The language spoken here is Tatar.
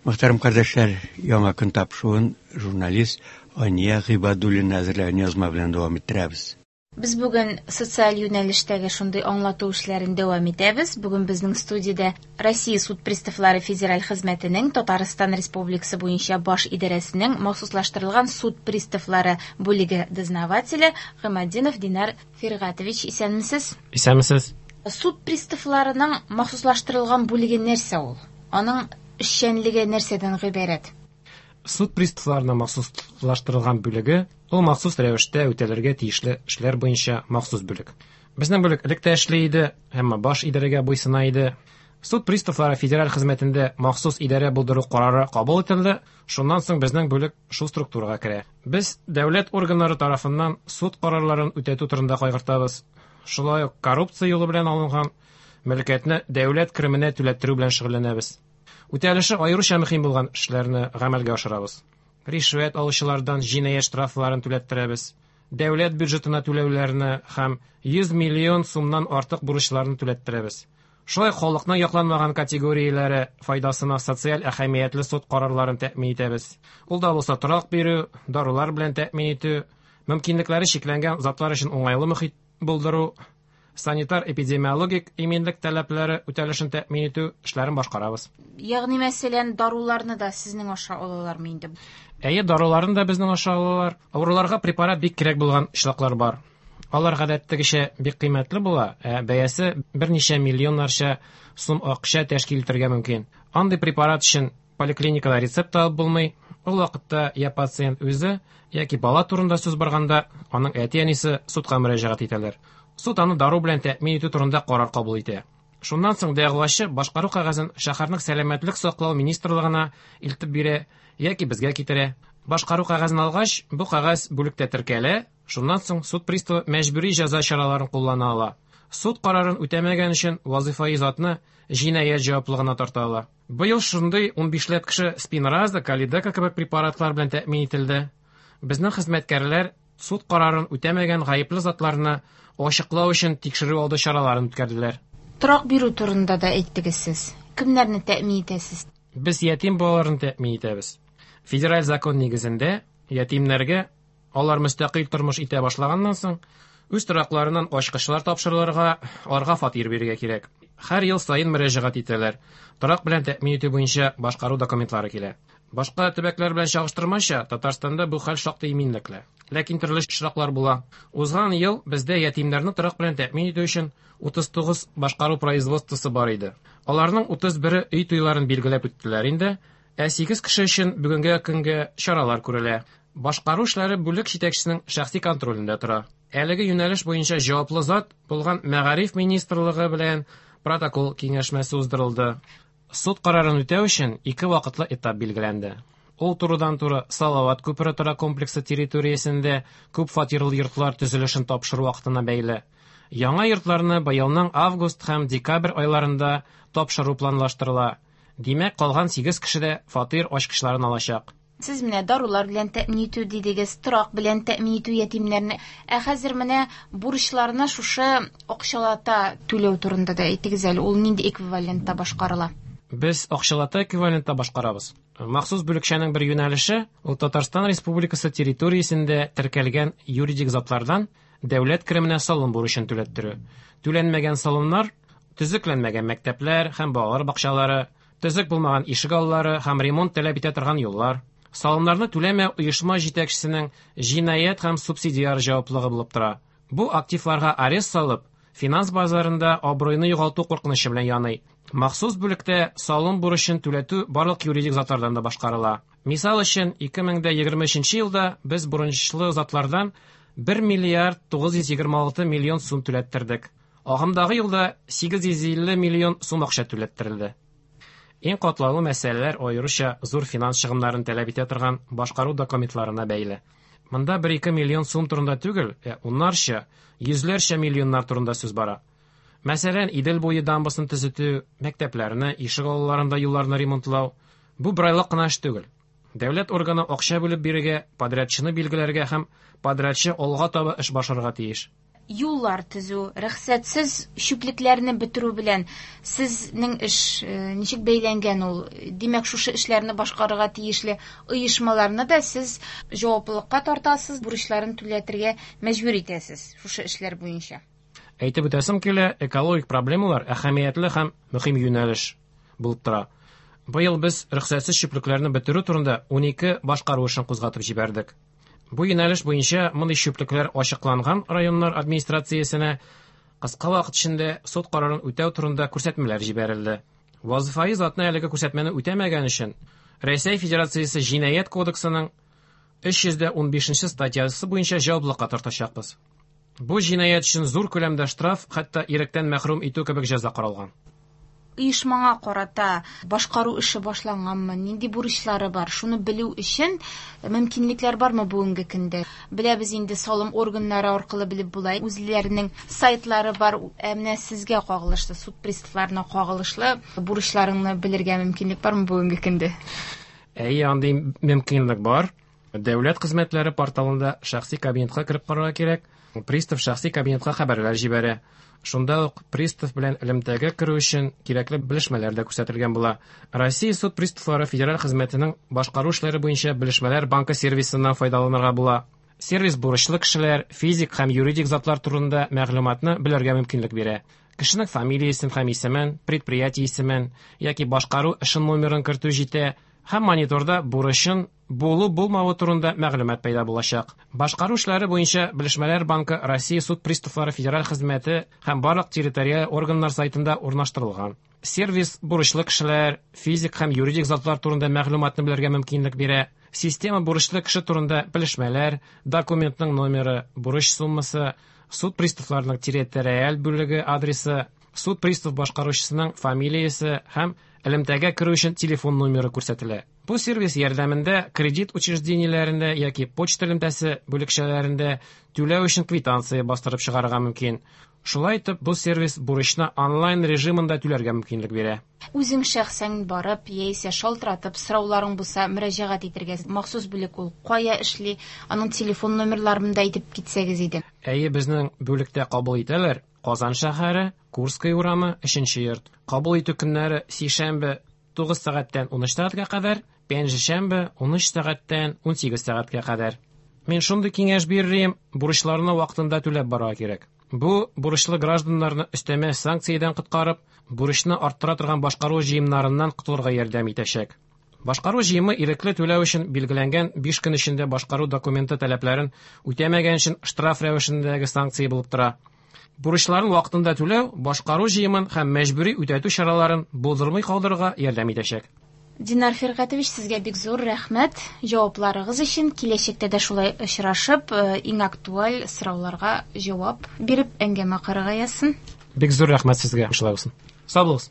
Мөхтәрәм кардәшләр, яңа көн тапшыруын журналист Ания Гыйбадуллина әзерләгән язма белән дәвам иттерәбез. Без бүген социаль юнәлештәге шундый аңлату эшләрен дәвам итәбез. Бүген безнең студиядә Россия суд приставлары федераль хезмәтенең Татарстан Республикасы буенча баш идарәсенең махсуслаштырылган суд приставлары бүлеге дознавателе Гыйматдинов Динар Фиргатович. Исәнмесез? Исәнмесез. Суд приставларының махсуслаштырылган бүлеге нәрсә ул? Аның эшчәнлеге нәрсәдән гыйбарәт? Суд приставларының махсуслаштырылган бүлеге ул махсус рәвештә үтәлергә тиешле эшләр буенча махсус бүлек. Безнең бүлек элек тә эшли иде, әмма баш идарәгә буйсына иде. Суд приставлары федераль хезмәтендә махсус идарә булдыру карары кабул ителде, шуннан соң безнең бүлек шул структурага керә. Без дәүләт органнары тарафыннан суд карарларын үтәтү турында кайгыртабыз. Шулай ук коррупция юлы белән алынган мөлкәтне дәүләт кеременә түләттерү белән шөгыльләнәбез. Үтәлеше аеруча мөһим булган эшләрне гамәлгә ашырабыз. Ришвәт алучылардан җинаять штрафларын түләттерәбез. Дәүләт бюджетына түләүләрне һәм 100 миллион сумнан артык бурычларны түләттерәбез. Шулай халыкның якланмаган категорияләре файдасына социаль әһәмиятле суд карарларын тәэмин итәбез. Ул да булса торак бирү, дарулар белән тәэмин итү, мөмкинлекләре чикләнгән затлар өчен уңайлы мохит булдыру, санитар-эпидемиологик иминлек таләпләре үтәлешен тәэмин итү эшләрен башкарабыз. Ягъни мәсәлән, даруларны да сезнең аша алалармы инде? Әйе, даруларны да безнең аша алалар. Авыруларга препарат бик кирәк булган очраклар бар. Алар гадәттәгечә бик кыйммәтле була, ә бәясе берничә миллионнарча сум акча тәшкил итәргә мөмкин. Андый препарат өчен поликлиникада рецепт алып булмый. Ул вакытта я пациент үзе, яки бала турында сүз барганда, аның әти-әнисе судка мөрәҗәгать итәләр. Суд аны дару белән тәэмин итү турында карар кабул итә. Шуннан соң дәгъвачы башкару кәгазен шәһәрнең сәламәтлек саклау министрлыгына илтеп бирә яки безгә китерә. Башкару кәгазен алгач, бу кәгазь бүлектә теркәлә, шуннан соң суд приставы мәҗбүри җәза чараларын куллана ала. Суд карарын үтәмәгән өчен вазифаи затны җинаять җаваплылыгына тарта ала. Быел шундый 15ләп кеше Спинраза, Калидека кебек препаратлар белән тәэмин ителде. Безнең хезмәткәрләр суд карарын үтәмәгән гаепле затларны ачыклау өчен тикшерү алды чараларын үткәрделәр. Торак бирү турында да әйттегез сез. Кемнәрне тәэмин итәсез? Без ятим балаларын тәэмин итәбез. Федераль закон нигезендә ятимнәргә алар мөстәкыйль тормыш итә башлаганнан соң үз торакларыннан ачкычлар тапшырылырга, аларга фатир бирергә кирәк. Һәр ел саен мөрәҗәгать итәләр. Торак белән тәэмин итү буенча башкару документлары килә. Башка төбәкләр белән чагыштырмача, Татарстанда бу хәл шактый иминлекле. Ләкин төрле очраклар була. Узган ел бездә ятимнәрне торак белән тәэмин итү өчен 39 башкару производствосы бар иде. Аларның 31-е өй туйларын билгеләп үттеләр инде, ә 8 кеше өчен бүгенге көнгә чаралар күрелә. Башкару эшләре бүлек җитәкчесенең шәхси контролендә тора. Әлеге юнәлеш буенча җаваплы зат булган Мәгариф министрлыгы белән протокол киңәшмәсе уздырылды. Суд карарын үтәү өчен ике вакытлы этап билгеләнде. Ул турыдан-туры Салават күпере торак комплексы территориясендә күп фатирлы йортлар төзелешен тапшыру вакытына бәйле. Яңа йортларны быелның август һәм декабрь айларында тапшыру планлаштырыла. Димәк, калган 8 кеше дә фатир ачкычларын алачак. Сез менә дарулар белән тәэмин итү дидегез, торак белән тәэмин итү ятимнәрне. Ә хәзер менә бурычларны шушы акчалата түләү турында да әйтегез әле, ул нинди эквивалентта башкарыла? Без акчалата эквивалентта башкарабыз. Махсус бүлекчәнең бер юнәлеше ул Татарстан Республикасы территориясендә теркәлгән юридик затлардан дәүләт кеременә салым бурычын түләттерү. Түләнмәгән салымнар төзекләнмәгән мәктәпләр һәм балалар бакчалары, төзек булмаган ишек аллары һәм ремонт таләп итә торган юллар. Салымнарны түләмәү оешма җитәкчесенең җинаять һәм субсидиар җаваплылыгы булып тора. Бу активларга арест салып, финанс базарында абруйны югалту куркынычы белән яный. Махсус бүлектә салым бурычын түләтү барлык юридик затлардан да башкарыла. Мисал өчен, 2023 елда без бурычлы затлардан 1 миллиард 926 миллион сум түләттердек. Агымдагы елда 850 миллион сум акча түләттерелде. Иң катлаулы мәсьәләләр аеруча зур финанс чыгымнарын таләп итә торган башкару документларына бәйле. Монда 1-2 миллион сум турында түгел, ә уннарча, йөзләрчә миллионнар турында сүз бара. Мәсәлән, Идел буе дамбасын төзетү, мәктәпләрне, ишек алларында юлларны ремонтлау бу бер айлык кына эш түгел. Дәүләт органы акча бүлеп бирергә, подрядчыны билгеләргә һәм подрядчы алга таба эш башларга тиеш. Юллар төзү, рөхсәтсез чүплекләрне бетерү белән сезнең эш ничек бәйләнгән ул? Димәк, шушы эшләрне башкарырга тиешле оешмаларны да сез җаваплылыкка тартасыз, бурычларын түләтергә мәҗбүр итәсез шушы эшләр буенча. Әйтеп үтәсем килә, экологик проблемалар әһәмиятле һәм мөһим юнәлеш булып тора. Быел без рөхсәтсез чүплекләрне бетерү турында 12 башкару эшен кузгатып җибәрдек. Бу юнәлеш буенча мондый чүплекләр ачыкланган районнар администрациясенә кыска вакыт эчендә суд карарын үтәү турында күрсәтмәләр җибәрелде. Вазифаи затны әлеге күрсәтмәне үтәмәгән өчен Рәсәй Федерациясе Җинаять кодексының 315 статьясы буенча җаваплылыкка тартачакбыз. Бу җинаять өчен зур күләмдә штраф, хәтта иректән мәхрүм итү кебек җәза каралган. Оешмаңа карата башкару эше башланганмы, нинди бурычлары бар, шуны белү өчен мөмкинлекләр бармы бүгенге көндә? Беләбез инде, салым органнары аркылы белеп була, үзләренең сайтлары бар. Ә менә сезгә кагылышлы, суд приставларына кагылышлы бурычларыңны белергә мөмкинлек бармы бүгенге көндә? Әйе, андый мөмкинлек бар. Дәүләт хезмәтләре порталында шәхси кабинетка кереп карарга кирәк. Пристав шәхси кабинетка хәбәрләр җибәрә. Шунда ук пристав белән элемтәгә керү өчен кирәкле белешмәләр дә күрсәтелгән була. Россия суд приставлары федераль хезмәтенең башкару эшләре буенча белешмәләр банкы сервисыннан файдаланырга була. Сервис бурычлы кешеләр, физик һәм юридик затлар турында мәгълүматны белергә мөмкинлек бирә. Кешенең фамилиясен һәм исемен, предприятие исемен яки башкару эшен номерын кертү җитә һәм мониторда бурычын булу-булмавы турында мәгълүмат пәйда булачак. Башкару эшләре буенча белешмәләр банкы Россия суд приставлары федераль хезмәте һәм барлык территориаль органнар сайтында урнаштырылган. Сервис бурычлы кешеләр, физик һәм юридик затлар турында мәгълүматны белергә мөмкинлек бирә. Система бурычлы кеше турында белешмәләр, документның номеры, бурыч суммасы, суд приставларының территориаль бүлеге адресы, суд пристав башкаручысының фамилиясе һәм элемтәгә керү өчен телефон номеры күрсәтелә. Бу сервис ярдәмендә кредит учреждениеләрендә яки почта элемтәсе бүлекчәләрендә түләү өчен квитанция бастырып чыгарырга мөмкин. Шулай итеп, бу сервис бурычны онлайн режимында түләргә мөмкинлек бирә. Үзең шәхсән барып, яисә шалтыратып, сорауларың булса, мөрәҗәгать итәргә. Махсус бүлек ул кая эшли, аның телефон номерларын да әйтеп китсәгез иде. Әйе, безнең бүлектә кабул итәләр. Казан шәһәре, Курская урамы, 3 йорт. Кабул итү көннәре сишәмбе 9 сәгатьтән 13 сәгатькә кадәр, пәнҗешәмбе 13 сәгатьтән 18 сәгатькә кадәр. Мин шундый киңәш биререм, бурычларны вакытында түләп барырга кирәк. Бу бурычлы гражданнарны өстәмә санкциядән коткарып, бурычны арттыра торган башкару җыемнарыннан котылырга ярдәм итәчәк. Башкару җыемы ирекле түләү өчен билгеләнгән 5 көн эчендә башкару документы таләпләрен үтәмәгән өчен штраф рәвешендәге санкция булып тора. Бурычларын вакытында түләү башкару җыемын һәм мәҗбүри үтәтү чараларын булдырмый калдырырга ярдәм итәчәк. Динар Фиргатович, сезгә бик зур рәхмәт җавапларыгыз өчен. Киләчәктә дә шулай очрашып, иң актуаль сорауларга җавап биреп әңгәмә корырга язсын. Бик зур рәхмәт сезгә, шулай булсын. Сау булыгыз.